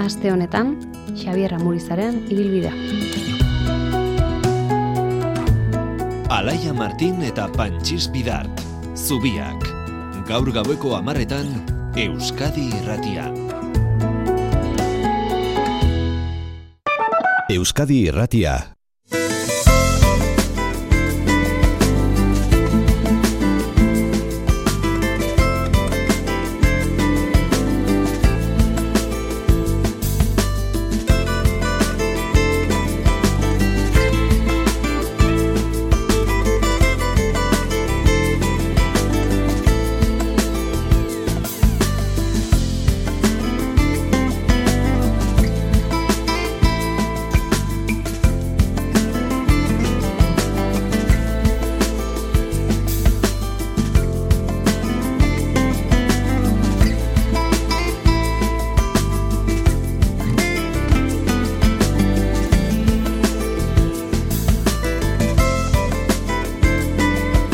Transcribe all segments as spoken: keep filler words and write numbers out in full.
Aste honetan, Xabier Amurizaren ibilbidea. Alaia Martin eta Pantxis Bidart, Zubiak. Gaur gaueko hamarretan, Euskadi Irratian. Euskadi Irratia.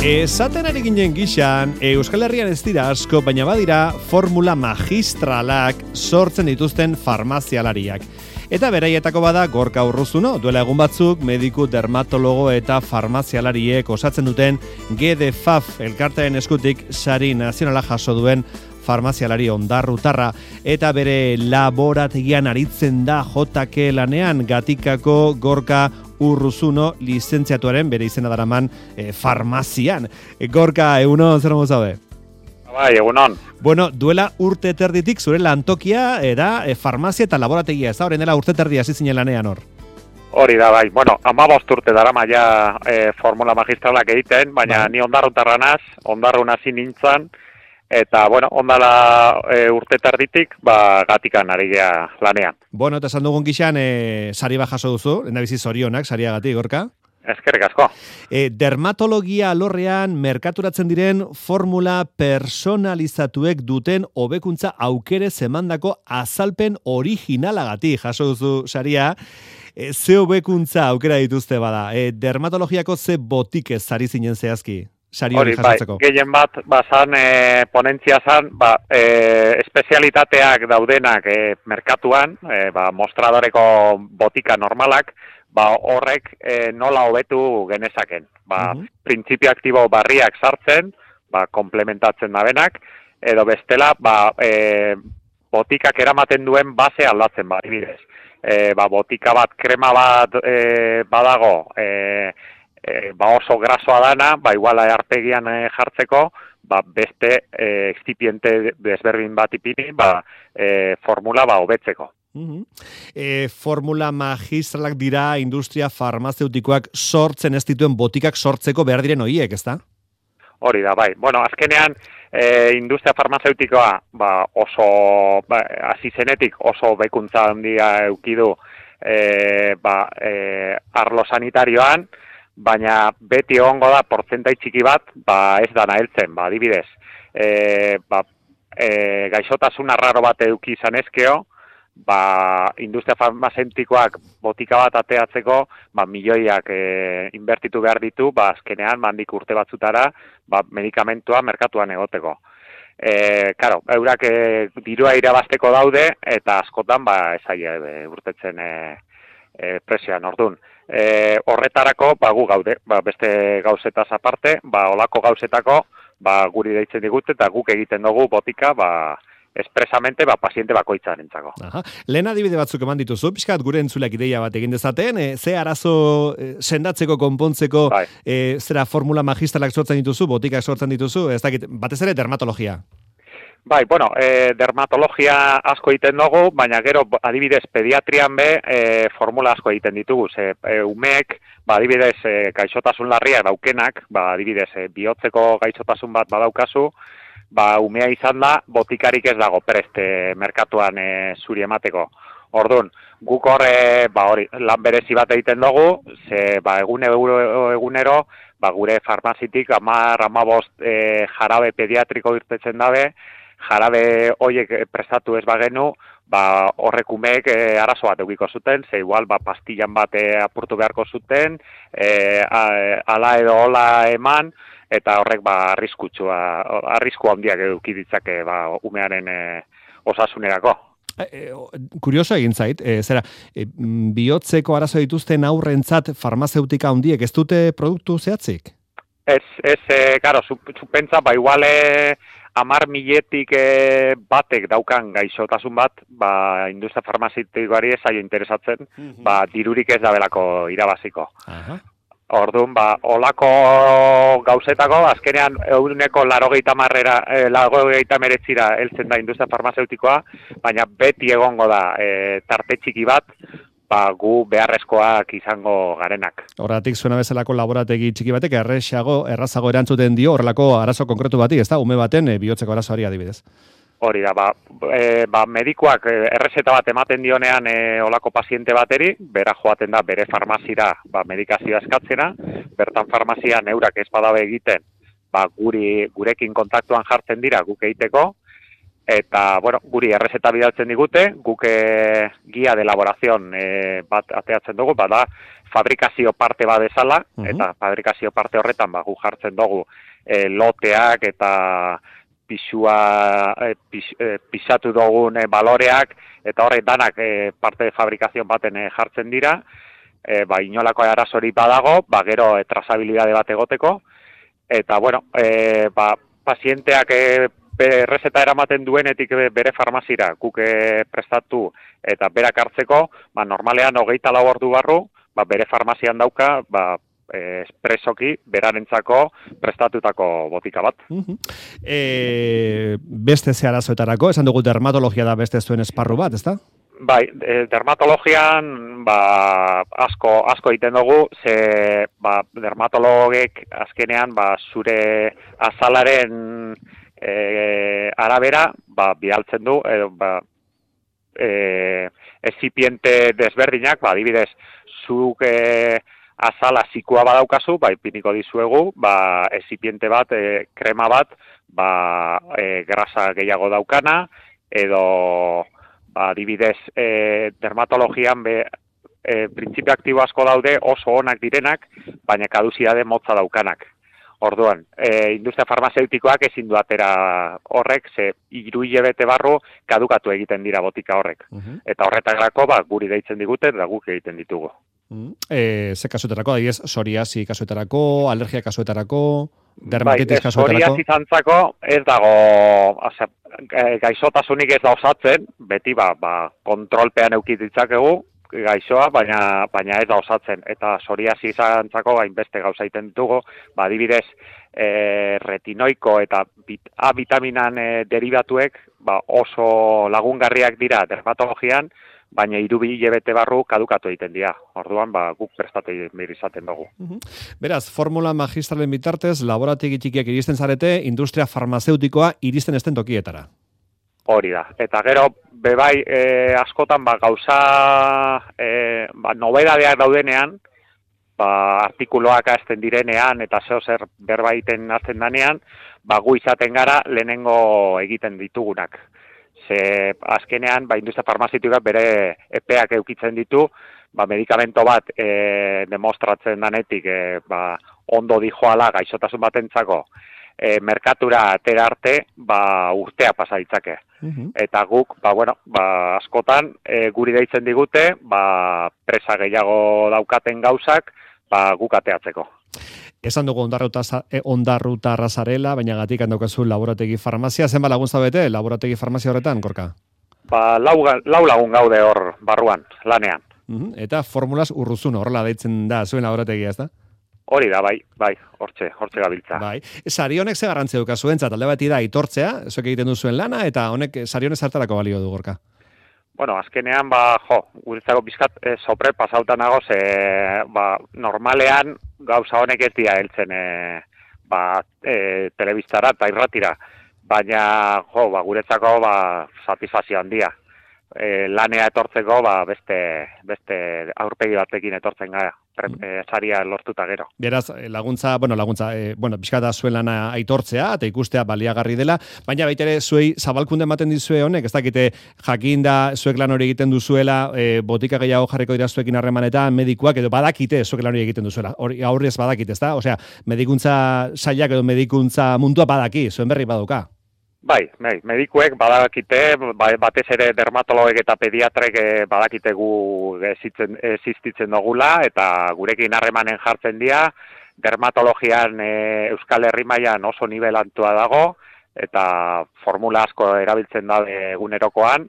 Esaten ari ginen gixan, Euskal Herrian ez dira asko, baina badira formula magistralak sortzen dituzten farmazialariak. Eta beraietako bada Gorka Urruzuno, duela egun batzuk mediku, dermatologo eta farmazialariek osatzen duten G D F A F elkartearen eskutik sari nazionala jaso duen farmazialari ondarrutarra, eta bere laborategian aritzen da J K lanean Gatikako Gorka Urruzuno lizentziatuaren bere izena daraman e, farmazian. E, Gorka, egunon, zer modu zaude? Bai, egunon. Bueno, duela urte terditik zure lantokia era e, farmazia eta laborategia, ez da? Horren dela urte terdi hasi zinen lanean hor. Hori da, bai. Bueno, hamabost urte darama ja e, formula magistralak egiten, baina bai. Ni ondarrutarranaz, ondarrun hasi nintzen, eta, bueno, ondala e, urte terditik, ba, Gatikan ari gea lanean. Bueno, eta esan dugun gixan, e, sari bat jaso duzu, lehendabizi zorionak, sariagatik, Gorka? Eskerrik asko. E, dermatologia alorrean merkaturatzen diren formula personalizatuek duten hobekuntza aukere zemandako azalpen originalagatik jaso duzu saria. E, ze hobekuntza aukera dituzte bada? E, dermatologiako ze botikez sari zinen zehazki? Hori, bai, gehien bat, ba, zan, e, ponentzia zan, ba, e, espezialitateak daudenak e, merkatuan, e, ba, mostradoreko botika normalak, ba, horrek e, nola hobetu genezaken. Ba, uh-huh. Printzipio aktibo barriak sartzen, ba, komplementatzen dabenak, edo bestela, ba, e, botikak eramaten duen base aldatzen, ba, ibidez. E, ba, botika bat, krema bat e, badago, e, E, ba oso grasoa dana, ba iguala arpegian e, jartzeko, ba beste e, excipiente desberdin bat ipini, ba e, formula ba hobetzeko. Uh-huh. E, formula magistralak dira industria farmazeutikoak sortzen ez dituen botikak sortzeko behar diren horiek, ezta? Hori da, bai. Bueno, azkenean e, industria farmazeutikoa ba oso ba, hasi zenetik oso bekuntza handia eukidu e, ba, e, arlo sanitarioan, baina beti egongo da portzentai txiki bat, ba ez dana heltzen, ba adibidez, e, ba, e, gaixotasun arraro bat eduki izan ezkeo, ba industria farmazeutikoak botika bat ateatzeko, ba milioiak e, inbertitu behar ditu, ba azkenean mandik urte batzutara, ba medikamentua merkatuan egoteko. E, karo, eurak e, dirua irabazteko daude, eta askotan ba esaia e, urtetzen e, e, presioan ordun. E, horretarako, ba, gu gaude, ba, beste gauzetaz aparte, ba, olako gauzetako, ba, guri deitzen digute, eta guk egiten dugu botika, ba, espresamente, ba, paziente bakoitzarentzako. Aha. Lehen adibide batzuk eman dituzu, pixkat gure entzuleak ideia bat egin dezaten, e, ze arazo e, sendatzeko, konpontzeko, bai. e, zera formula magistralak sortzen dituzu, botikak sortzen dituzu, ez dakit, batez ere dermatologia. Bai, bueno, e, dermatologia asko egiten dugu, baina gero adibidez pediatrian be e, formula asko egiten ditugu. Ze, e, umeek, ba, adibidez e, gaixotasun larriak daukenak, ba, adibidez e, bihotzeko gaixotasun bat badaukazu, ba, umea izan da, botikarik ez dago preste merkatuan e, zuri emateko. Orduan, guk horre, ba, hori, lan berezi bat egiten dugu, ze, ba, egunero, egunero, ba, gure farmazitik amar, amabost e, jarabe pediatriko irtetzen dabe, jarabe hoiek prestatu ez bagenu, ba, horrek umeek e, arazo bat eukiko zuten, ze igual ba, pastillan bat e, apurtu beharko zuten, e, a, ala edo hola eman, eta horrek ba, arriskutsua, arrisku handiak eduki ditzake ba, umearen e, osasunerako. E, kurioso egin zait, e, zera, e, bihotzeko arazo dituzten aurrentzat farmazeutika handiek ez dute produktu zehatzik? Ez, ez, e, karo, zupentza, ba, iguale amar miletik e, batek daukan gaixotasun bat, ba, industria farmazitikoari ez zaio interesatzen, mm-hmm. ba, dirurik ez dabelako irabaziko. Aha. Orduan, ba, olako gauzetako, azkenean eguneko larogeita marrera, e, larogeita meretzira heltzen da industria farmazeutikoa, baina beti egongo da e, tarte txiki bat, ba, gu beharrezkoak izango garenak. Horregatik zuena bezalako laborategi txiki batek erresago, errazago erantzuten dio horrelako arazo konkretu bati, ez da, ume baten e, bihotzeko arazoari adibidez. Hori da, ba, e, ba medikuak errezeta bat ematen dionean e, olako paziente bateri, bera joaten da bere farmazira ba, medikazioa eskatzena, bertan farmazian eurak ez badabe egiten, ba, guri, gurekin kontaktuan jartzen dira guk egiteko, eta, bueno, guri errezeta bidaltzen digute, guk e, guia de elaborazion e, bat ateatzen dugu, bada fabrikazio parte bat ezala, uh-huh. eta fabrikazio parte horretan ba, gu jartzen dugu e, loteak eta pisua, eh, pis, eh, pisatu dugun eh, baloreak, eta horrek danak eh, parte de fabrikazion baten eh, jartzen dira, eh, ba, inolako arazori badago, ba, gero eh, trazabilidade bat egoteko, eta, bueno, eh, ba, pazienteak eh, errezeta eramaten duenetik bere farmazira, guk eh, prestatu eta berak hartzeko, ba, normalean hogeita lau ordu barru, ba, bere farmazian dauka, ba, espresoki berarentzako prestatutako botika bat. Uh-huh. E, beste ze arazoetarako, esan dugu dermatologia da beste zuen esparru bat, ezta? Bai, e, dermatologian ba, asko asko egiten dugu, ze ba, dermatologek azkenean ba, zure azalaren e, arabera ba, bidaltzen du, edo ba, e, ezipiente desberdinak, ba, adibidez, zuk e, azala zikua badaukazu, ba, ipiniko dizuegu, ba, ezipiente bat, e, krema bat, ba, e, grasa gehiago daukana, edo, ba, adibidez, e, dermatologian be, e, printzipio aktibo asko daude oso onak direnak, baina kaduzitate motza daukanak. Orduan, e, industria farmazeutikoak ezin du atera horrek, ze hiru hilabete barru kadukatu egiten dira botika horrek. Uh-huh. Eta horretarako, ba, guri deitzen digute, eta guk egiten ditugu. E, ze kasuetarako, adiez, psoriasi kasuetarako, alergia kasuetarako, dermatitis bai, kasuetarako? Psoriasi zantzako ez dago, ose, gaixotasunik ez da osatzen, beti ba, ba, kontrolpean eukititzakegu gaixoa, baina, baina ez da osatzen. Eta psoriasi zantzako hainbeste gauza egiten ditugu, ba, adibidez, e, retinoiko eta bit, A vitaminan e, derivatuek ba, oso lagungarriak dira dermatologian, baina hiru hilabete barru kadukatu egiten dira. Orduan, ba, guk prestatu izaten dugu. Uh-huh. Beraz, formula magistralen bitartez, laborategi txikiak iristen zarete, industria farmazeutikoa iristen esten tokietara. Hori da. Eta gero, bebai, e, askotan, ba, gauza, e, ba, nobedadeak daudenean, ba, artikuloak azten direnean, eta zeo zer berbaiten azten danean, ba, gu izaten gara lehenengo egiten ditugunak. Ze azkenean, ba, industria farmazitikoak bere epeak eukitzen ditu, ba, medikamento bat e, demostratzen danetik e, ba, ondo dijoala gaixotasun batentzako e, merkatura atera arte ba, urtea pasa ditzake. Uh-huh. Eta guk, ba, bueno, ba, askotan e, guri deitzen digute, ba, presa gehiago daukaten gauzak ba, guk ateatzeko. Esan dugu ondarruta arrasarela, baina gatik handaukazu laborategi farmazia. Zenba laguntza bete laborategi farmazia horretan, Gorka? Ba, lau, lau lagun gaude hor barruan, lanean. Uh-huh. Eta formulas urruzun, horrela deitzen da zuen laborategia, ez da? Hori da, bai, bai, hortxe, hortxe gabiltza. Bai. Sari honek ze garrantzia duka zuentzat, alde bati da aitortzea, zuek egiten duzuen lana, eta honek sari honek zartarako balio du, Gorka? Bueno, azkenean, ba, jo, guretzako bizkat e, sopre pasautan nagoz, e, ba, normalean gauza honek ez dira heltzen e, ba, e, telebistara eta irratira, baina, jo, ba, guretzako, ba, satisfazio handia. E, lanea etortzeko, ba, beste, beste aurpegi batekin etortzen gara, e, saria lortuta gero. Beraz, laguntza, bueno, laguntza, e, bueno, pixkata zuen lana aitortzea, eta ikustea baliagarri dela, baina baitere zuei zabalkunde ematen dizue honek, ez dakite jakinda zuek lan hori egiten duzuela, e, botika gehiago jarriko dira zuekin harremanetan, medikuak, edo badakite zuek lan hori egiten duzuela, hori aurrez badakite, ez da? Osea, medikuntza sailak edo medikuntza mundua badaki, zuen berri baduka. Bai, bai, medikuek badakite, bai, batez ere dermatologek eta pediatrek badakite gu existitzen, existitzen dugula, eta gurekin harremanen jartzen dira, dermatologian e, Euskal Herri mailan oso nivelantua dago, eta formula asko erabiltzen da egunerokoan,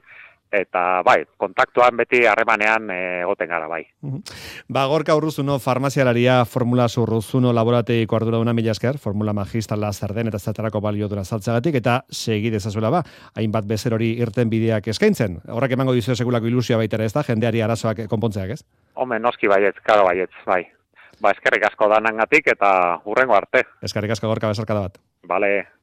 eta bai, kontaktuan beti harremanean egoten gara bai. Ba, Gorka Urruzuno, farmazialaria, formula Urruzuno laborategiko arduraduna mila esker, formula magistrala zer den eta zertarako balio dura saltzeagatik, eta segi dezazuela ba, hainbat bezer hori irten bideak eskaintzen. Horrek emango dizue segulako ilusioa baita ere, ez da, jendeari arazoak konpontzeak, ez? Home, noski baietz, karo baietz, bai. Ba, eskerrik asko danangatik eta hurrengo arte. Eskerrik asko, Gorka, besarkada bat. Bale.